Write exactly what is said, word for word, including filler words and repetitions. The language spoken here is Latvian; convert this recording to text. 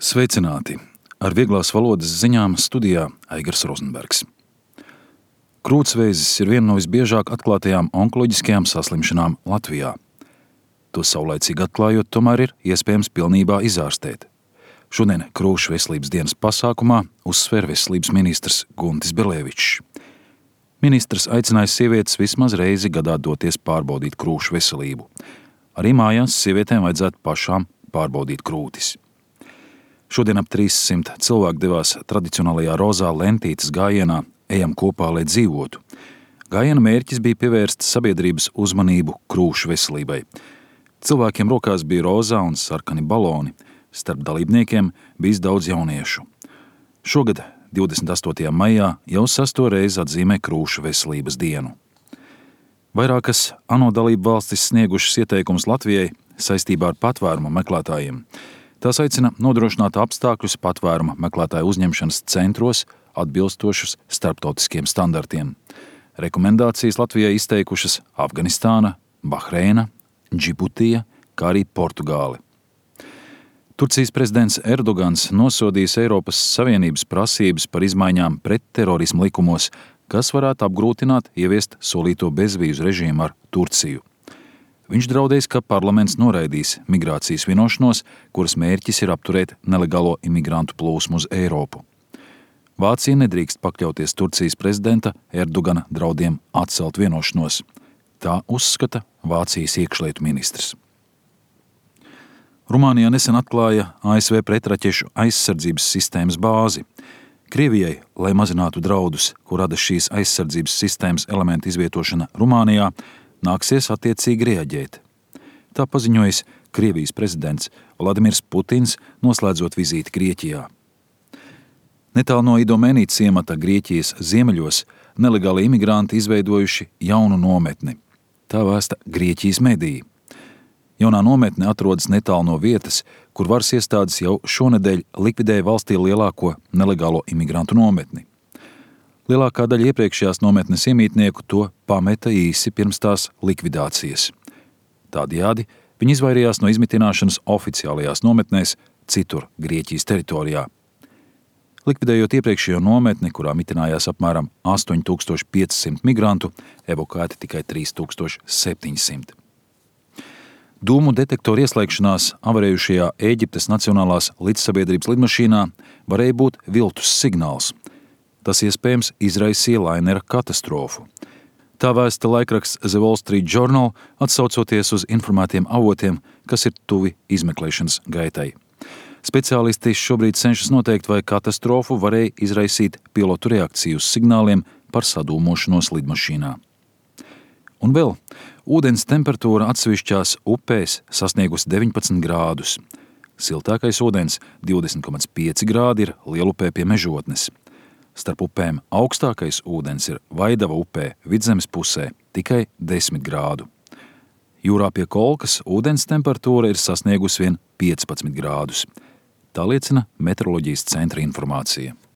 Sveicināti! Ar vieglās valodas ziņām studijā Aigars Rozenbergs. Krūtsvēzis ir viena no visbiežāk atklātajām onkoloģiskajām saslimšanām Latvijā. To saulaicīgi atklājot, tomēr ir iespējams pilnībā izārstēt. Šodien Krūšu veselības dienas pasākumā uzsver veselības ministrs Guntis Berlevičs. Ministrs aicinājis sievietes vismaz reizi gadā doties pārbaudīt krūšu veselību. Arī mājās sievietēm vajadzētu pašām pārbaudīt krūtis. Šodien ap trīssimt cilvēku devās tradicionālajā rozā lentītes gājienā Ejam kopā, lai dzīvotu. Gājiena mērķis bija pievērst sabiedrības uzmanību krūšu veselībai. Cilvēkiem rokās bija rozā un sarkani baloni. Starp dalībniekiem bijis daudz jauniešu. Šogad, divdesmit astotajā maijā, jau sesto reizi atzīmē krūšu veselības dienu. Vairākas ANO dalību valstis sniegušas ieteikumus Latvijai saistībā ar patvērumu meklētājiem. Tās aicina nodrošināt apstākļus patvēruma meklētāju uzņemšanas centros atbilstošus starptautiskiem standartiem. Rekomendācijas Latvijai izteikušas Afganistāna, Bahreina, Džibutija, kā arī Portugāli. Turcijas prezidents Erdogans nosodījis Eiropas Savienības prasības par izmaiņām pret terorismu likumos, kas varētu apgrūtināt ieviest solīto bezvīzu režīmu ar Turciju. Viņš draudējis, ka parlaments noraidīs migrācijas vienošanos, kuras mērķis ir apturēt nelegālo imigrantu plūsmu uz Eiropu. Vācija nedrīkst pakļauties Turcijas prezidenta Erdogana draudiem atcelt vienošanos. Tā uzskata Vācijas iekšlietu ministrs. Rumānijā nesen atklāja A S V pretraķešu aizsardzības sistēmas bāzi. Krievijai, lai mazinātu draudus, ko rada šīs aizsardzības sistēmas elementu izvietošana Rumānijā, nāksies attiecīgi reaģēt. Tā paziņojis Krievijas prezidents Vladimirs Putins, noslēdzot vizīti Grieķijā. Netālu no Idomēnī ciemata Grieķijas ziemeļos nelegāli imigranti izveidojuši jaunu nometni. Tā vēsta Grieķijas mediji. Jaunā nometne atrodas netālu no vietas, kur varas iestādes jau šonedēļ likvidēja valstī lielāko nelegālo imigrantu nometni. Lielākā daļa iepriekšējās nometnes iemītnieku to pameta īsi pirms tās likvidācijas. Tādējādi viņi izvairījās no izmitināšanas oficiālajās nometnēs citur Grieķijas teritorijā. Likvidējot iepriekšējo nometni, kurā mitinājās apmēram astoņi tūkstoši pieci simti migrantu, evakuēti tikai trīs tūkstoši septiņi simti. Dūmu detektoru ieslēgšanās avarējušajā Ēģiptes Nacionālās līdzsabiedrības lidmašīnā varēja būt viltus signāls. Tas iespējams izraisīja lainera katastrofu. Tā vēsta laikraksts The Wall Street Journal, atsaucoties uz informētiem avotiem, kas ir tuvi izmeklēšanas gaitai. Speciālisti šobrīd cenšas noteikt, vai katastrofu varēja izraisīt pilotu reakciju uz signāliem par sadūmošanos lidmašīnā. Un vēl, ūdens temperatūra atsevišķās upēs sasniegusi deviņpadsmit grādus. Siltākais ūdens divdesmit komats pieci grādi ir Lielupē pie Mežotnes. Starp upēm augstākais ūdens ir Vaidava upē Vidzemes pusē, tikai desmit grādu. Jūrā pie Kolkas ūdens temperatūra ir sasniegusi vien piecpadsmit grādus. Tā liecina meteoroloģijas centra informācija.